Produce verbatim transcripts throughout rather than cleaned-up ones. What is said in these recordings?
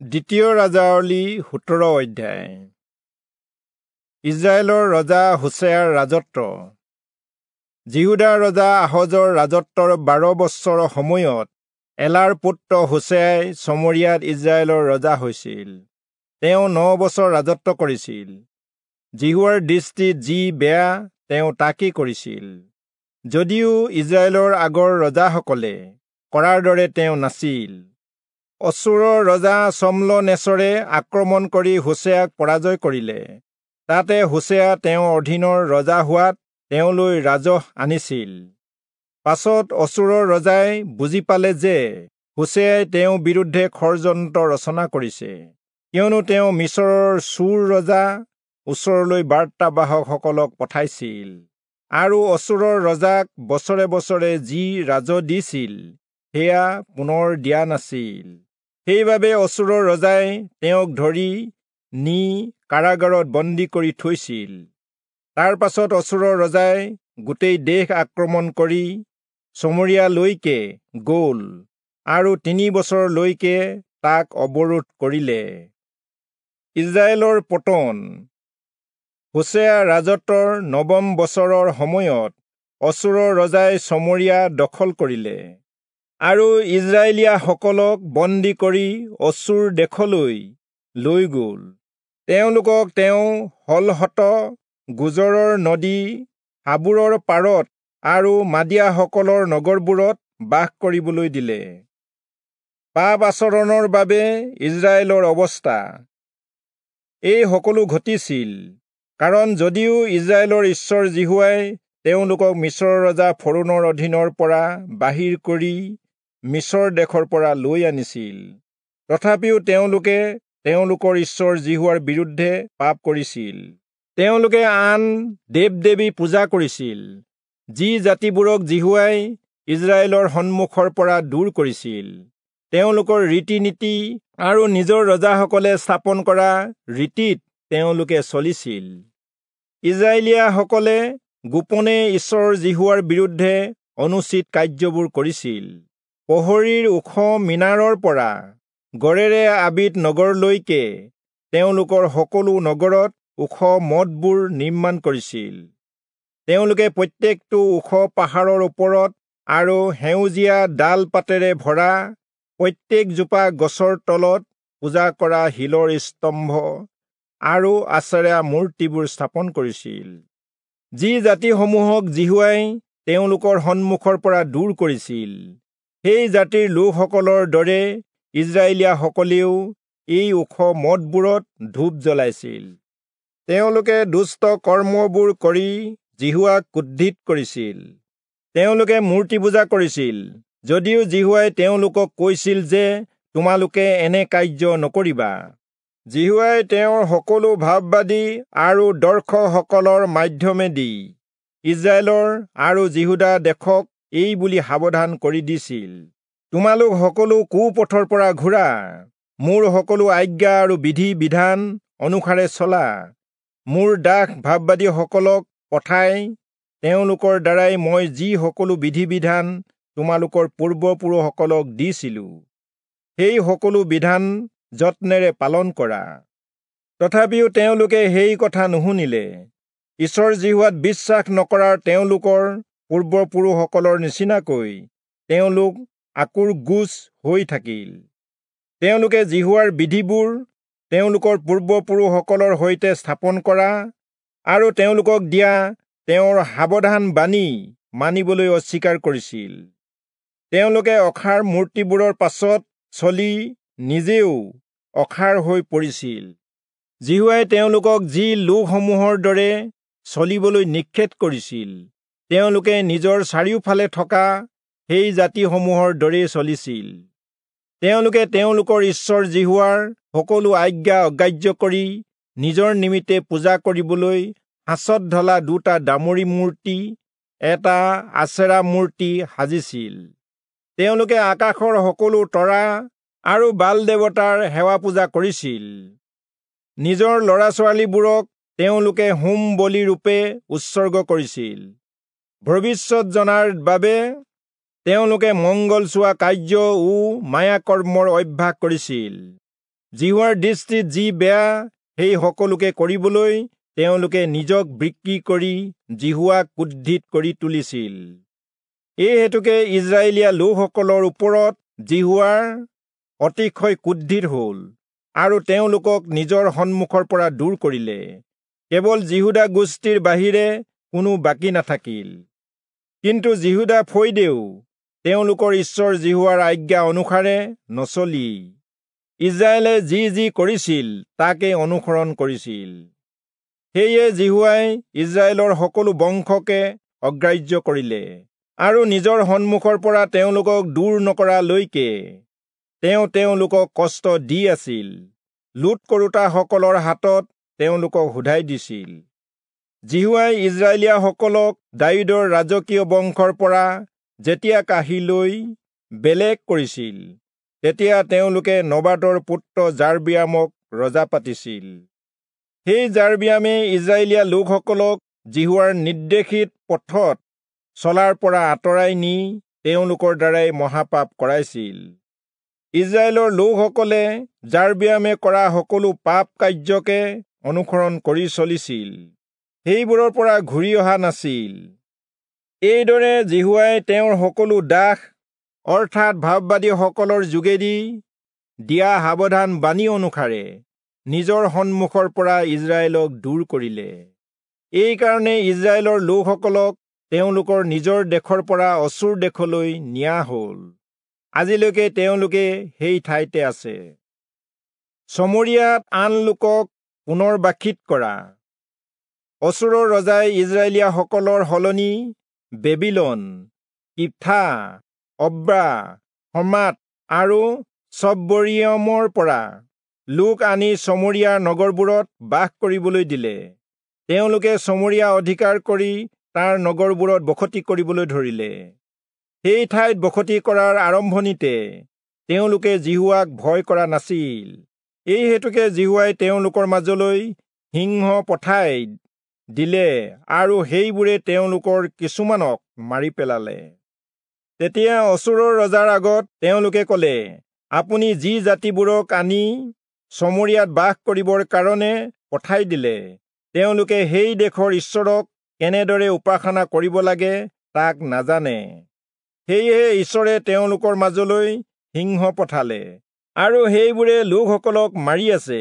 দ্বিতীয় ৰাজাৱলী সোতৰ অধ্যায়। ইজৰাইলৰ ৰজা হোচেয়াৰ ৰাজত্ব। যিহূদাৰ ৰজা আহজৰ ৰাজত্বৰ বাৰ বছৰৰ সময়ত এলাৰ পুত্ৰ হোচেয়াই চমৰিয়াত ইজৰাইলৰ ৰজা হৈছিল। তেওঁ ন বছৰ ৰাজত্ব কৰিছিল। যিহোৱাৰ দৃষ্টিত যি বেয়া তেওঁ তাকেই কৰিছিল, যদিও ইজৰাইলৰ আগৰ ৰজাসকলে কৰাৰ দৰে তেওঁ নাছিল। অচূৰৰ ৰজা চম্লনেচৰে আক্ৰমণ কৰি হোচেয়াক পৰাজয় কৰিলে। তাতে হোচেয়া তেওঁৰ অধীনৰ ৰজা হোৱাত তেওঁলৈ ৰাজহ আনিছিল। পাছত অচূৰৰ ৰজাই বুজি পালে যে হোচেয়াই তেওঁৰ বিৰুদ্ধে ষড়যন্ত্ৰ ৰচনা কৰিছে, কিয়নো তেওঁ মিচৰৰ চূৰ ৰজা ওচৰলৈ বাৰ্তাবাহকসকলক পঠাইছিল আৰু অচূৰৰ ৰজাক বছৰে বছৰে যি ৰাজহ দিছিল সেয়া পুনৰ দিয়া নাছিল। সেইবাবে অচূৰৰ ৰজাই তেওঁক ধৰি নি কাৰাগাৰত বন্দী কৰি থৈছিল। তাৰ পাছত অচূৰৰ ৰজাই গোটেই দেশ আক্ৰমণ কৰি চমৰিয়ালৈকে গ'ল আৰু তিনি বছৰলৈকে তাক অৱৰোধ কৰিলে। ইজৰাইলৰ পতন। হোচেয়া ৰাজত্বৰ নৱম বছৰৰ সময়ত অচূৰৰ ৰজাই চমৰিয়া দখল কৰিলে আৰু ইজৰাইলীয়াসকলক বন্দী কৰি অচূৰ দেশলৈ লৈ গ'ল। তেওঁলোকক তেওঁ হলহত গোজৰৰ নদী হাবুৰৰ পাৰত আৰু মাদিয়াসকলৰ নগৰবোৰত বাস কৰিবলৈ দিলে। পাপ আচৰণৰ বাবে ইজৰাইলৰ অৱস্থা। এই সকলো ঘটিছিল কাৰণ যদিও ইজৰাইলৰ ঈশ্বৰ যিহোৱাই তেওঁলোকক মিচৰৰ ৰজা ফৰৌণৰ অধীনৰ পৰা বাহিৰ কৰি মিচৰ দেশৰ পৰা লৈ আনিছিল, তথাপিও তেওঁলোকে তেওঁলোকৰ ঈশ্বৰ যিহোৱাৰ বিৰুদ্ধে পাপ কৰিছিল। তেওঁলোকে আন দেৱ দেৱী পূজা কৰিছিল, যি জাতিবোৰক যিহোৱাই ইজৰাইলৰ সন্মুখৰ পৰা দূৰ কৰিছিল। তেওঁলোকৰ ৰীতি নীতি আৰু নিজৰ ৰজাসকলে স্থাপন কৰা ৰীতিত তেওঁলোকে চলিছিল। ইজৰাইলীয়াসকলে গোপনে ঈশ্বৰ যিহোৱাৰ বিৰুদ্ধে অনুচিত কাৰ্যবোৰ কৰিছিল। প্ৰহৰীৰ ওখ মিনাৰৰ পৰা গড়েৰে আবিদ নগৰলৈকে তেওঁলোকৰ সকলো নগৰত ওখ মঠবোৰ নিৰ্মাণ কৰিছিল। তেওঁলোকে প্ৰত্যেকটো ওখ পাহাৰৰ ওপৰত আৰু সেউজীয়া ডাল পাতেৰে ভৰা প্ৰত্যেকজোপা গছৰ তলত পূজা কৰা শিলৰ স্তম্ভ আৰু আচেৰা মূৰ্তিবোৰ স্থাপন কৰিছিল। যি জাতিসমূহক যিহোৱাই তেওঁলোকৰ সন্মুখৰ পৰা দূৰ কৰিছিল, সেই জাতিৰ লোকসকলৰ দৰে ইজৰাইলীয়াসকলেও এই ওখ মঠবোৰত ধূপ জ্বলাইছিল। তেওঁলোকে দুষ্ট কৰ্মবোৰ কৰি যিহোৱাক ক্ৰোধিত কৰিছিল। তেওঁলোকে মূৰ্তি পূজা কৰিছিল, যদিও যিহোৱাই তেওঁলোকক কৈছিল যে তোমালোকে এনে কাৰ্য নকৰিবা। যিহোৱাই তেওঁৰ সকলো ভাববাদী আৰু দৰ্শকসকলৰ মাধ্যমেদি ইজৰাইলৰ আৰু যিহূদা দেশক এই বুলি সাৱধান কৰি দিছিল, তোমালোক সকলো কুপথৰ পৰা ঘূৰা, মোৰ সকলো আজ্ঞা আৰু বিধি বিধান অনুসাৰে চলা। মোৰ দাস ভাববাদীসকলক পঠাই তেওঁলোকৰ দ্বাৰাই মই যি সকলো বিধি বিধান তোমালোকৰ পূৰ্বপুৰুষসকলক দিছিলো, সেই সকলো বিধান যত্নেৰে পালন কৰা। তথাপিও তেওঁলোকে সেই কথা নুশুনিলে। ঈশ্বৰ যিহোৱাত বিশ্বাস নকৰাৰ তেওঁলোকৰ পূৰ্বপুৰুষসকলৰ নিচিনাকৈ তেওঁলোক আঁকোৰগোজ হৈ থাকিল। তেওঁলোকে যিহোৱাৰ বিধিবোৰ তেওঁলোকৰ পূৰ্বপুৰুষসকলৰ সৈতে স্থাপন কৰা আৰু তেওঁলোকক দিয়া তেওঁৰ সাৱধান বাণী মানিবলৈ অস্বীকাৰ কৰিছিল। তেওঁলোকে অসাৰ মূৰ্তিবোৰৰ পাছত চলি নিজেও অসাৰ হৈ পৰিছিল। যিহোৱাই তেওঁলোকক যি লোকসমূহৰ দৰে চলিবলৈ নিষেধ কৰিছিল, তেওঁলোকে নিজৰ চাৰিওফালে থকা সেই জাতিসমূহৰ দৰেই চলিছিল। তেওঁলোকে তেওঁলোকৰ ঈশ্বৰ যিহোৱাৰ সকলো আজ্ঞা অগ্ৰাহ্য কৰি নিজৰ নিমিত্তে পূজা কৰিবলৈ সাঁচত ঢলা দুটা দামুৰি মূৰ্তি, এটা আচেৰা মূৰ্তি সাজিছিল। তেওঁলোকে আকাশৰ সকলো তৰা আৰু বাল দেৱতাৰ সেৱা পূজা কৰিছিল। নিজৰ ল'ৰা ছোৱালীবোৰক তেওঁলোকে হোম বলি ৰূপে উৎসৰ্গ কৰিছিল। ভৱিষ্যত জনাৰ বাবে তেওঁলোকে মংগল চোৱা কাৰ্য ও মায়াকৰ্মৰ অভ্যাস কৰিছিল। যিহোৱাৰ দৃষ্টিত যি বেয়া সেই সকলোকে কৰিবলৈ তেওঁলোকে নিজক বিক্ৰী কৰি যিহোৱাক ক্ৰোধিত কৰি তুলিছিল। এই হেতুকে ইস্ৰায়েলীয়া লোকসকলৰ ওপৰত যিহোৱাৰ অতিশয় ক্ৰোধিত হ'ল আৰু তেওঁলোকক নিজৰ সন্মুখৰ পৰা দূৰ কৰিলে। কেৱল যিহূদা গোষ্ঠীৰ বাহিৰে কোনো বাকী নাথাকিল। কিন্তু যিহূদা ফৈদেও তেওঁলোকৰ ঈশ্বৰ যিহোৱাৰ আজ্ঞা অনুসাৰে নচলি ইস্ৰায়েলে যি যি কৰিছিল তাকে অনুসৰণ কৰিছিল। সেয়ে যিহোৱাই ইস্ৰায়েলৰ সকলো বংশকে অগ্ৰাহ্য কৰিলে আৰু নিজৰ সন্মুখৰ পৰা তেওঁলোকক দূৰ নকৰালৈকে তেওঁ তেওঁলোকক কষ্ট দি আছিল। লুট কৰোতাসকলৰ হাতত তেওঁলোকক সোধাই দিছিল। যিহোৱাই ইস্ৰায়েলীয়াসকলক দায়ূদৰ ৰাজকীয় বংশৰ পৰা যেতিয়া কাঢ়ি লৈ বেলেগ কৰিছিল, তেতিয়া তেওঁলোকে নবাটৰ পুত্ৰ যাৰবিয়ামক ৰজা পাতিছিল। সেই যাৰবিয়ামে ইস্ৰায়েলীয়া লোকসকলক যিহোৱাৰ নিৰ্দেশিত পথত চলাৰ পৰা আঁতৰাই নি তেওঁলোকৰ দ্বাৰাই মহাপাপ কৰাইছিল। ইস্ৰায়েলৰ লোকসকলে যাৰবিয়ামে কৰা সকলো পাপ কাৰ্যকে অনুসৰণ কৰি চলিছিল, সেইবোৰৰ পৰা ঘূৰি অহা নাছিল। এইদৰে যিহোৱাই তেওঁৰ সকলো দাস অৰ্থাৎ ভাববাদীসকলৰ যোগেদি দিয়া সাৱধান বাণী অনুসাৰে নিজৰ সন্মুখৰ পৰা ইস্ৰায়েলক দূৰ কৰিলে। এইকাৰণে ইস্ৰায়েলৰ লোকসকলক তেওঁলোকৰ নিজৰ দেশৰ পৰা অচূৰ দেশলৈ নিয়া হ'ল। আজিলৈকে তেওঁলোকে সেই ঠাইতে আছে। চমৰীয়াত আন লোকক পুনৰ্বাসিত কৰা। অচূৰৰ ৰজাই ইস্ৰায়েলীয়াসকলৰ সলনি বেবিলন, কিথা, অব্ৰা, হমাত আৰু চব্বৰিয়মৰ পৰা লোক আনি চমৰীয়াৰ নগৰবোৰত বাস কৰিবলৈ দিলে। তেওঁলোকে চমৰীয়া অধিকাৰ কৰি তাৰ নগৰবোৰত বসতি কৰিবলৈ ধৰিলে। সেই ঠাইত বসতি কৰাৰ আৰম্ভণিতে তেওঁলোকে যিহোৱাক ভয় কৰা নাছিল। এই হেতুকে যিহোৱাই তেওঁলোকৰ মাজলৈ সিংহ পঠাই দিলে আৰু সেইবোৰে তেওঁলোকৰ কিছুমানক মাৰি পেলালে। তেতিয়া অচূৰৰ ৰজাৰ আগত তেওঁলোকে ক'লে, আপুনি যি জাতিবোৰক আনি চমৰীয়াত বাস কৰিবৰ কাৰণে পঠাই দিলে, তেওঁলোকে সেই দেশৰ ঈশ্বৰক কেনেদৰে উপাসনা কৰিব লাগে তাক নাজানে। সেয়েহে ঈশ্বৰে তেওঁলোকৰ মাজলৈ সিংহ পঠালে আৰু সেইবোৰে লোকসকলক মাৰি আছে,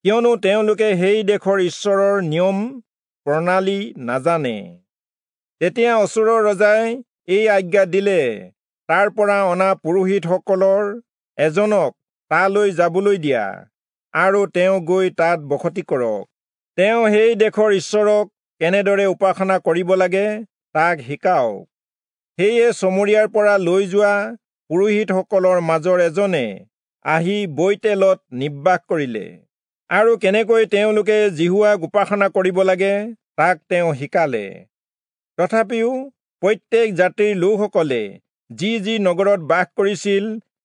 কিয়নো তেওঁলোকে সেই দেশৰ ঈশ্বৰৰ নিয়ম প্ৰণালী নাজানে। তেতিয়া অচূৰৰ ৰজাই এই আজ্ঞা দিলে, তাৰ পৰা অনা পুৰোহিতসকলৰ এজনক তালৈ যাবলৈ দিয়া আৰু তেওঁ গৈ তাত বসতি কৰক। তেওঁ সেই দেশৰ ঈশ্বৰক কেনেদৰে উপাসনা কৰিব লাগে তাক শিকাওক। সেয়ে চমৰীয়াৰ পৰা লৈ যোৱা পুৰোহিতসকলৰ মাজৰ এজনে আহি বৈতেলত নিবাস কৰিলে আৰু কেনেকৈ তেওঁলোকে যিহোৱাক উপাসনা কৰিব লাগে তাক তেওঁ শিকালে। তথাপিও প্ৰত্যেক জাতিৰ লোকসকলে যি যি নগৰত বাস কৰিছিল,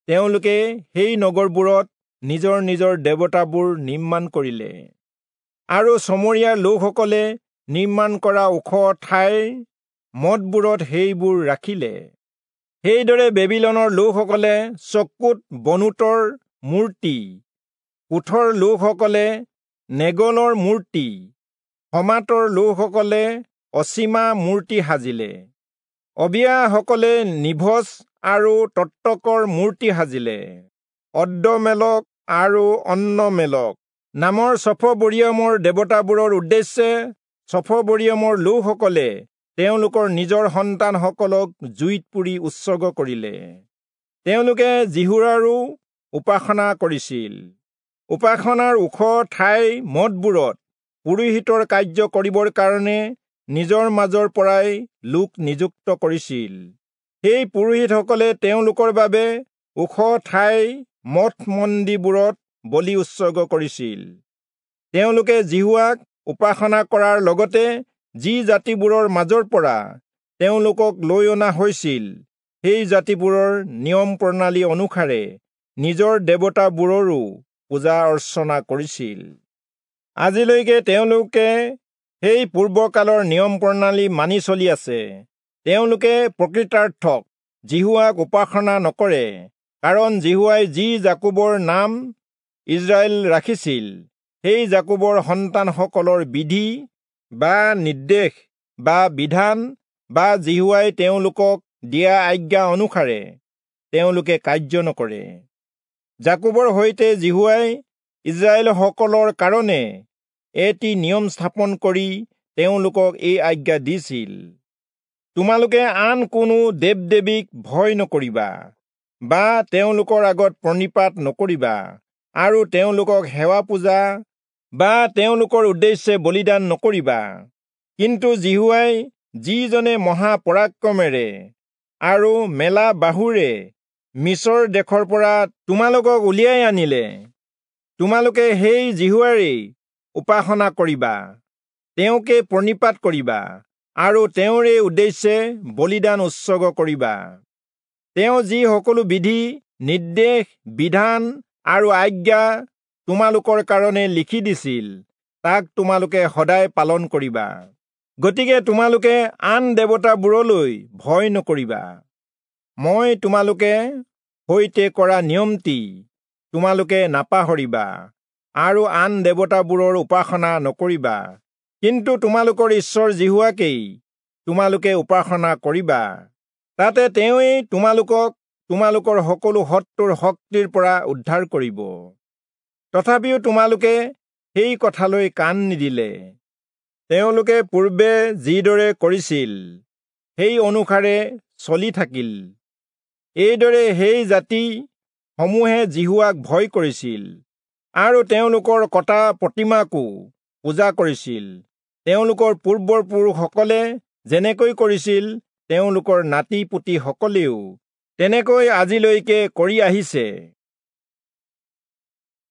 তেওঁলোকে সেই নগৰবোৰত নিজৰ নিজৰ দেৱতাবোৰ নিৰ্মাণ কৰিলে আৰু চমৰীয়াৰ লোকসকলে নিৰ্মাণ কৰা ওখ ঠাইৰ মঠবোৰত সেইবোৰ ৰাখিলে। সেইদৰে বেবিলনৰ লোকসকলে চকুত বনোতৰ মূৰ্তি, কোঠৰ লোকসকলে নেগলৰ মূৰ্তি, হমাতৰ লোকসকলে অচীমা মূৰ্তি সাজিলে। অবিয়াসকলে নিভজ আৰু তত্তকৰ মূৰ্তি সাজিলে। অদ্দমেলক আৰু অন্নমেলক নামৰ চফবৰিয়মৰ দেৱতাবোৰৰ উদ্দেশ্যে চফবৰিয়মৰ লোকসকলে তেওঁলোকৰ নিজৰ সন্তানসকলক জুইত পুৰি উৎসৰ্গ কৰিলে। তেওঁলোকে যিহোৱাৰো উপাসনা কৰিছিল। উপাসনাৰ ওখ ঠাইৰ মঠবোৰত পুৰোহিতৰ কাৰ্য কৰিবৰ কাৰণে নিজৰ মাজৰ পৰাই লোক নিযুক্ত কৰিছিল। সেই পুৰোহিতসকলে তেওঁলোকৰ বাবে ওখ ঠাইৰ মঠ মন্দিৰবোৰত বলি উৎসৰ্গ কৰিছিল। তেওঁলোকে যিহোৱাক উপাসনা কৰাৰ লগতে যি জাতিবোৰৰ মাজৰ পৰা তেওঁলোকক লৈ অনা হৈছিল, সেই জাতিবোৰৰ নিয়ম প্ৰণালী অনুসাৰে নিজৰ দেৱতাবোৰৰো পূজা অৰ্চনা কৰিছিল। আজিলৈকে তেওঁলোকে সেই পূৰ্বকালৰ নিয়ম প্ৰণালী মানি চলি আছে। তেওঁলোকে প্ৰকৃতাৰ্থক যিহোৱাক উপাসনা নকৰে, কাৰণ যিহোৱাই যি যাকোবৰ নাম ইস্ৰায়েল ৰাখিছিল, সেই যাকোবৰ সন্তানসকলৰ বিধি বা নিৰ্দেশ বা বিধান বা যিহোৱাই তেওঁলোকক দিয়া আজ্ঞা অনুসাৰে তেওঁলোকে কাৰ্য নকৰে। যাকোবৰ সৈতে যিহোৱাই ইস্ৰায়েলসকলৰ কাৰণে এটি নিয়ম স্থাপন কৰি তেওঁলোকক এই আজ্ঞা দিছিল, তোমালোকে আন কোনো দেৱ দেৱীক ভয় নকৰিবা বা তেওঁলোকৰ আগত প্ৰণিপাত নকৰিবা আৰু তেওঁলোকক সেৱা পূজা বা তেওঁলোকৰ উদ্দেশ্যে বলিদান নকৰিবা। কিন্তু যিহোৱাই, যিজনে মহাপৰাক্ৰমেৰে আৰু মেলা বাহুৰে মিচৰ দেশৰ পৰা তোমালোকক উলিয়াই আনিলে, তোমালোকে সেই যিহোৱাৰেই উপাসনা কৰিবা, তেওঁকে প্ৰণিপাত কৰিবা আৰু তেওঁৰে উদ্দেশ্যে বলিদান উৎসৰ্গ কৰিবা। তেওঁ যি সকলো বিধি, নিৰ্দেশ, বিধান আৰু আজ্ঞা তোমালোকৰ কাৰণে লিখি দিছিল, তাক তোমালোকে সদায় পালন কৰিবা। গতিকে তোমালোকে আন দেৱতাবোৰলৈ ভয় নকৰিবা। মই তোমালোকে সৈতে কৰা নিয়মটি তোমালোকে নাপাহৰিবা আৰু আন দেৱতাবোৰৰ উপাসনা নকৰিবা, কিন্তু তোমালোকৰ ঈশ্বৰ যিহোৱাকেই তোমালোকে উপাসনা কৰিবা। তাতে তেওঁৱেই তোমালোকক তোমালোকৰ সকলো শত্ৰুৰ শক্তিৰ পৰা উদ্ধাৰ কৰিব। তথাপিও তোমালোকে সেই কথালৈ কাণ নিদিলে। তেওঁলোকে পূৰ্বে যিদৰে কৰিছিল সেই অনুসাৰে চলি থাকিল। এইদৰে সেই জাতি সমূহে যিহোৱাক ভয় কৰিছিল আৰু তেওঁলোকৰ কটা প্ৰতিমাকো পূজা কৰিছিল। তেওঁলোকৰ পূৰ্বপুৰুষসকলে যেনেকৈ কৰিছিল, তেওঁলোকৰ নাতি পুতিসকলেও তেনেকৈ আজিলৈকে কৰি আহিছে।